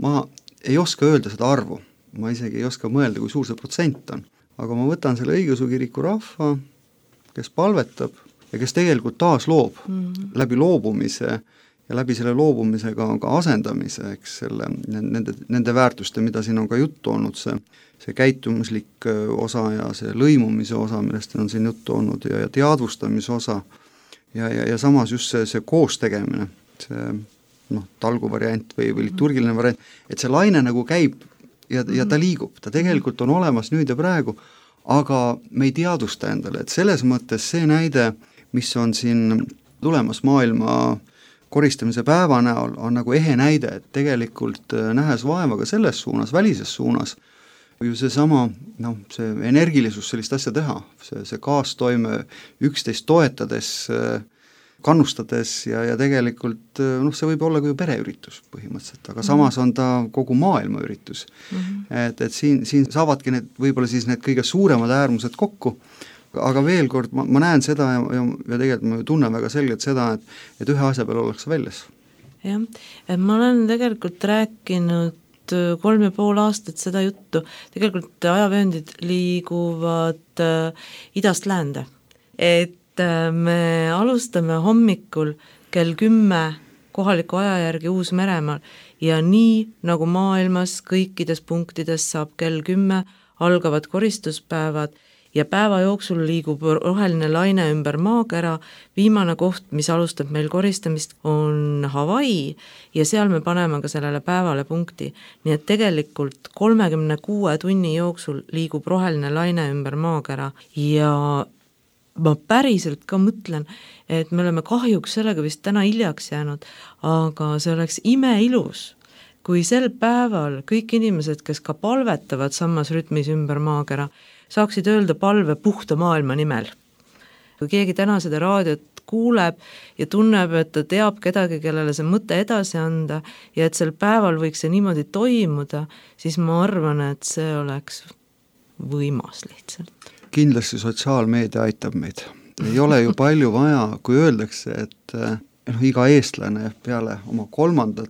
Ma ei oska öelda seda arvu, ma isegi ei oska mõelda, kui suur see protsent on, aga ma võtan selle õigeusu kiriku rahva, kes palvetab ja kes tegelikult taas loob läbi loobumise ja läbi selle loobumisega on ka asendamise, eks selle, nende väärtuste, mida siin on ka juttu olnud, see käitumuslik osa ja see lõimumise osa, millest on siin juttu olnud ja teadvustamise osa ja samas just see koos tegemine, see talguvariant või liturgiline variant, et see laine nagu käib ja ta liigub, ta tegelikult on olemas nüüd ja praegu, aga me ei teadvusta endale, et selles mõttes see näide, mis on siin tulemas maailma koristamise päeva näol, on nagu ehe näide, et tegelikult nähes vaeva ka selles suunas, välises suunas, ju seesama, see energilisus sellist asja teha, see kaastoime üksteist toetades, kannustades ja tegelikult see võib olla ka ju pereüritus põhimõtteliselt, aga samas on ta kogu maailma üritus. Et siin saavadki võib-olla siis need kõige suuremad äärmused kokku, aga veel kord, ma näen seda ja tegelikult ma tunnen väga selgelt seda, et ühe asja peal ollakse väljas. Jah, ma olen tegelikult rääkinud 3,5 aastat seda juttu, tegelikult ajavööndid liiguvad idast läände, et me alustame hommikul kell 10 kohaliku aja järgi Uus-Meremaal ja nii nagu maailmas kõikides punktides saab kell 10 algavad koristuspäevad ja päeva jooksul liigub roheline laine ümber maakera, viimane koht, mis alustab meil koristamist, on Hawaii ja seal me paneme ka sellele päevale punkti. Nii et tegelikult 36 tunni jooksul liigub roheline laine ümber maakera ja ma päriselt ka mõtlen, et me oleme kahjuks sellega vist täna hiljaks jäänud, aga see oleks imeilus, kui sel päeval kõik inimesed, kes ka palvetavad samas rütmis ümber maakera, saaksid öelda palve puhta maailma nimel. Kui keegi täna seda raadiot kuuleb ja tunneb, et ta teab kedagi, kellele see mõte edasi anda ja et sel päeval võiks see niimoodi toimuda, siis ma arvan, et see oleks võimas lihtsalt. Kindlasti sotsiaalmeedia aitab meid. Ei ole ju palju vaja, kui öeldakse, et iga eestlane peale oma 3.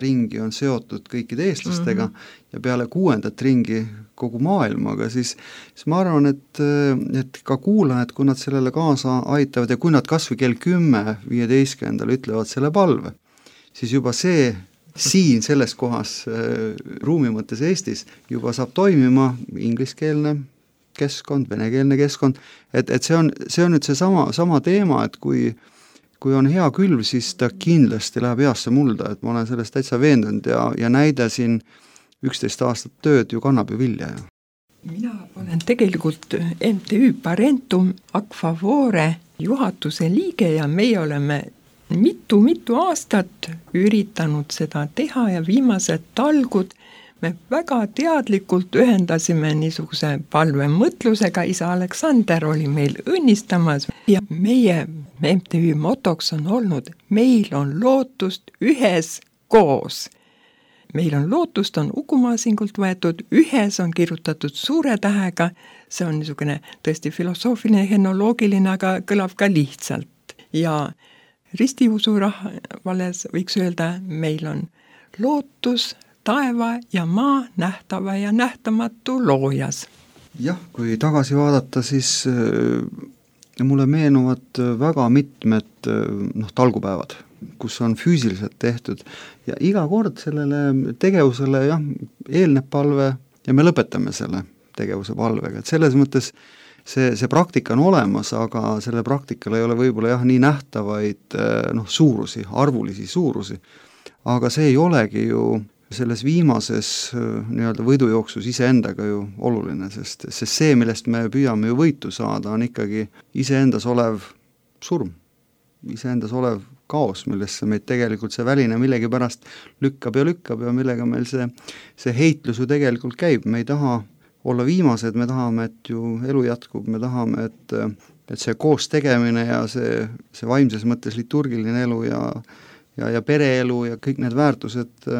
ringi on seotud kõikide eestlastega ja peale 6. ringi kogu maailmaga, siis ma arvan, et ka kuulajad, kui nad sellele kaasa aitavad ja kui nad kas või kell 10.15 ütlevad selle palve, siis juba see siin selles kohas ruumi mõttes Eestis juba saab toimima ingliskeelne keskkond, venekeelne keskkond, et see on nüüd see sama teema, et kui on hea külv, siis ta kindlasti läheb heasse mulda, et ma olen sellest täitsa veendunud ja näide siin 11 aastat tööd ju kannab ju vilja. Mina olen tegelikult MTÜ Parentum Ac Favore juhatuse liige ja meie oleme mitu aastat üritanud seda teha ja viimased talgud me väga teadlikult ühendasime niisuguse palvemõtlusega, isa Aleksander oli meil õnnistamas ja meie MTÜ motoks on olnud, meil on lootust ühes koos. Meil on lootust, on Uku-Maasingult võetud, ühes on kirjutatud suure tähega, see on niisugune tõesti filosoofiline, henoloogiline, aga kõlab ka lihtsalt. Ja ristiusu rahvales võiks öelda, meil on lootus taeva ja maa nähtava ja nähtamatu loojas. Jah, kui tagasi vaadata, siis mulle meenuvad väga mitmed talgupäevad, kus on füüsiliselt tehtud ja iga kord sellele tegevusele eelneb palve ja me lõpetame selle tegevuse palvega, et selles mõttes see praktika on olemas, aga selle praktikal ei ole võib-olla nii nähtavaid suurusi, arvulisi suurusi, aga see ei olegi ju selles viimases nii-öelda võidujooksus iseendaga ju oluline, sest see, millest me püüame ju võitu saada, on ikkagi iseendas olev surm, iseendas olev kaos, millesse meid tegelikult see väline millegipärast lükkab ja millega meil see heitlus ju tegelikult käib, me ei taha olla viimased, me tahame, et ju elu jätkub, me tahame, et see koos tegemine ja see vaimses mõttes liturgiline elu ja pereelu ja kõik need väärtused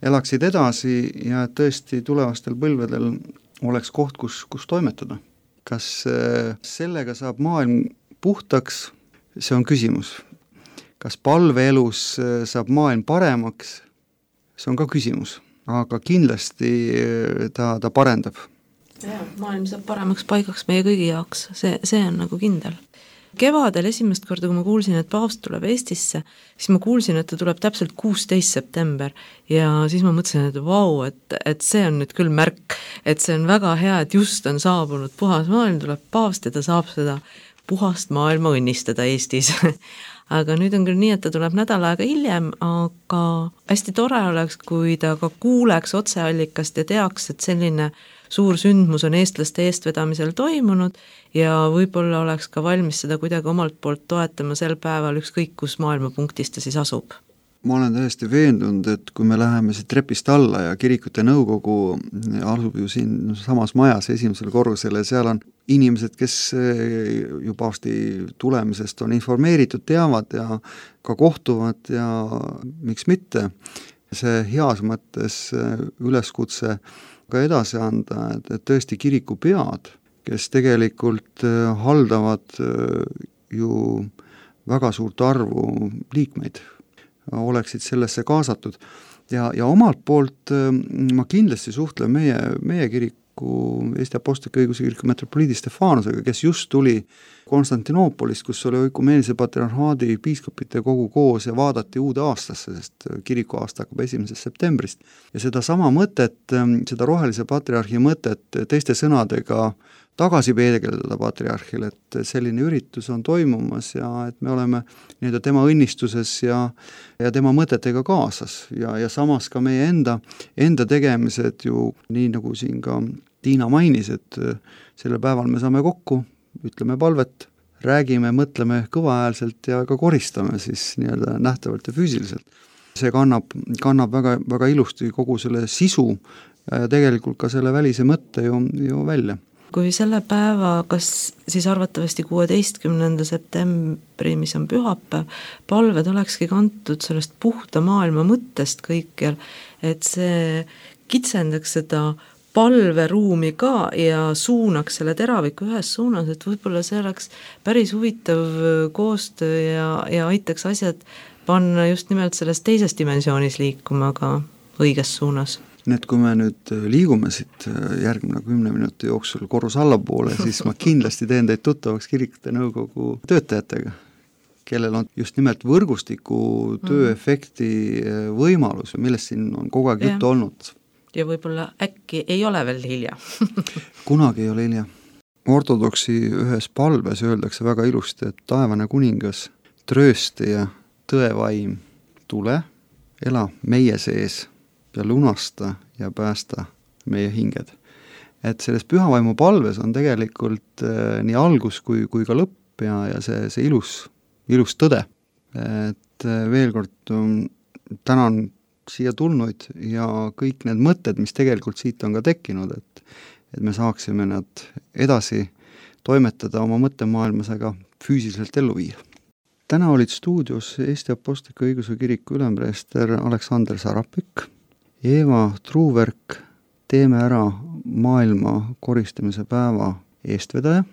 elaksid edasi ja tõesti tulevastel põlvedel oleks koht, kus toimetada. Kas sellega saab maailm puhtaks, see on küsimus. Kas palveelus saab maailm paremaks, see on ka küsimus, aga kindlasti ta parendab. Ja, maailm saab paremaks paigaks meie kõigi jaoks, see on nagu kindel. Kevadel esimest korda, kui ma kuulsin, et paavst tuleb Eestisse, siis ma kuulsin, et ta tuleb täpselt 16. september ja siis ma mõtlesin, et vau, et see on nüüd küll märk, et see on väga hea, et just on saabunud puhas maailm, tuleb paavst ja ta saab seda puhast maailma õnnistada Eestis. Aga nüüd on küll nii, et ta tuleb nädal aega hiljem, aga hästi tore oleks, kui ta ka kuuleks otseallikast ja teaks, et selline suur sündmus on eestlaste eestvedamisel toimunud ja võib-olla oleks ka valmis seda kuidagi omalt poolt toetama sel päeval ükskõik, kus maailmapunktis ta siis asub. Ma olen täiesti veendunud, et kui me läheme siit trepist alla ja kirikute nõukogu asub ju siin samas majas esimesel korrusel ja seal on inimesed, kes ju paavsti tulemisest on informeeritud, teavad ja ka kohtuvad ja miks mitte. See heas mõttes üleskutse ka edasi anda, et tõesti kirikupead, kes tegelikult haldavad ju väga suurt arvu liikmeid, oleksid sellesse kaasatud. Ja omalt poolt ma kindlasti suhtlen meie kiriku, Eesti Apostliku Õigeusu Kiriku metropoliidi Stefanusega, kes just tuli Konstantinoopolist, kus oli Oikumeenise patriarhaadi piiskopite kogu koos ja vaadati uude aastasse, sest kiriku aasta hakkab 1. septembrist. Ja seda sama mõtet, seda rohelise patriarhi mõtet teiste sõnadega tagasi peegeldada patriarhile, et selline üritus on toimumas ja et me oleme nii-öelda tema õnnistuses ja tema mõtetega kaasas ja samas ka meie enda tegemised ju nii nagu siin ka Tiina mainis, et sellel päeval me saame kokku, ütleme palvet, räägime, mõtleme kõvahäälselt ja ka koristame siis nii-öelda nähtavalt ja füüsiliselt. See kannab väga, väga ilusti kogu selle sisu ja tegelikult ka selle välise mõtte ju välja. kui selle päeva, kas siis arvatavasti 16. septembri, mis on pühapäev, palved olekski kantud sellest puhta maailma mõttest kõikjal, et see kitsendaks seda palveruumi ka ja suunaks selle teraviku ühes suunas, et võib-olla see oleks päris huvitav koostöö ja aitaks asjad panna just nimelt selles teises dimensioonis liikuma ka õiges suunas. Nii et kui me nüüd liigume siit järgmine 10 minuti jooksul korrus allapoole, siis ma kindlasti teen teid tuttavaks kirikute nõukogu töötajatega, kellel on just nimelt võrgustiku tööefekti võimalus, millest siin on kogu aeg juttu olnud. Ja võib-olla äkki ei ole veel hilja. Kunagi ei ole hilja. Ortodoksi ühes palves öeldakse väga ilusti, et taevane kuningas, trööstaja, tõevaim, tule, ela meie sees ja lunasta ja päästa meie hinged. Et selles pühavaimu palves on tegelikult nii algus kui ka lõpp ja see ilus tõde. Et veel kord tänan siia tulnuid ja kõik need mõtted, mis tegelikult siit on ka tekkinud, et me saaksime nad edasi toimetada oma mõttemaailmas, aga füüsiliselt ellu viia. Täna olid stuudios Eesti Apostliku Õigeusu Kiriku ülempreester Aleksander Sarapik, Eeva Truuverk, Teeme ära maailma koristamise päeva eestvedaja,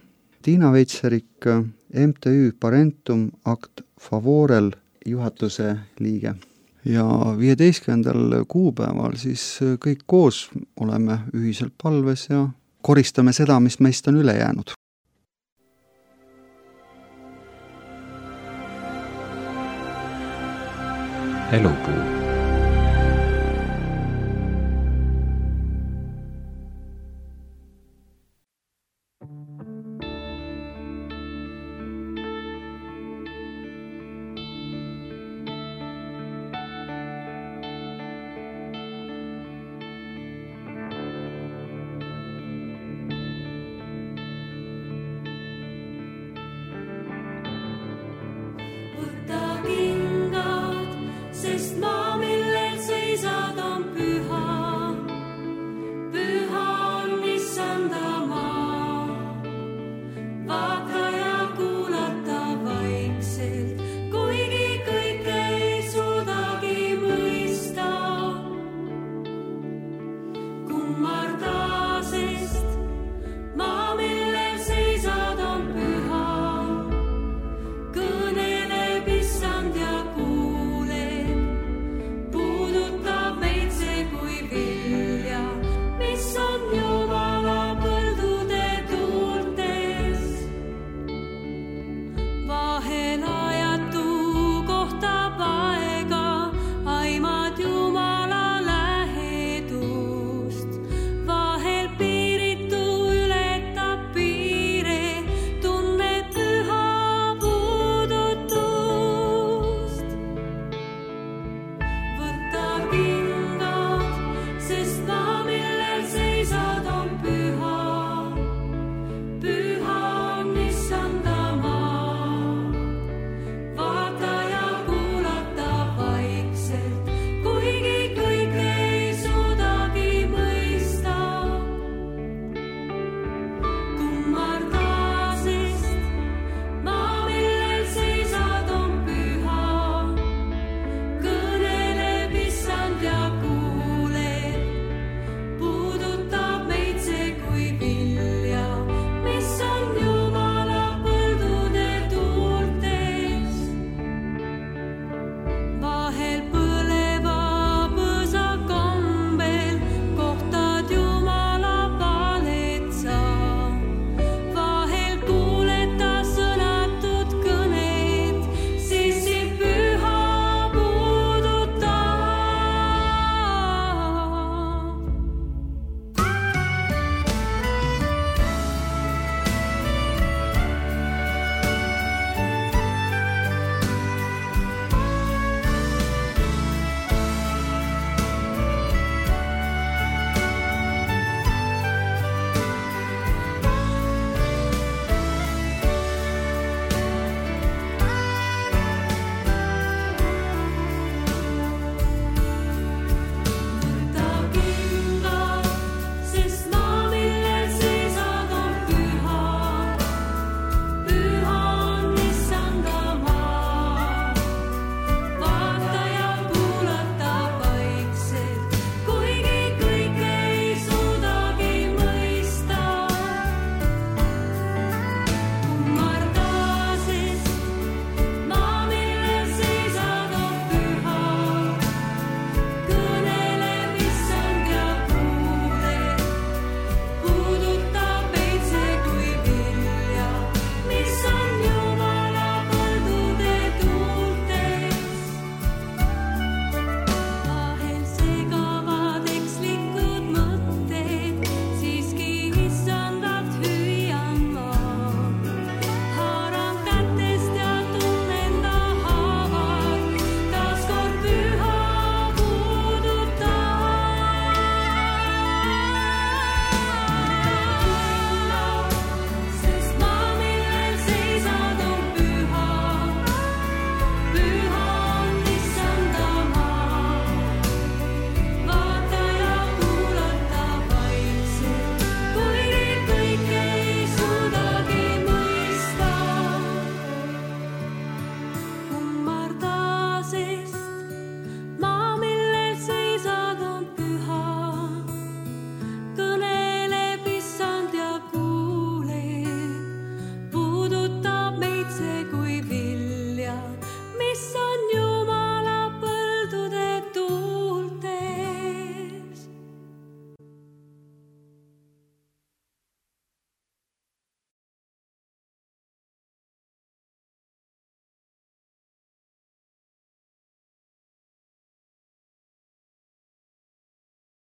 Tiina Veitserik, MTÜ Parentum Act Favorel juhatuse liige. Ja 15. kuupäeval siis kõik koos oleme ühiselt palves ja koristame seda, mis meist on üle jäänud. Elupuu.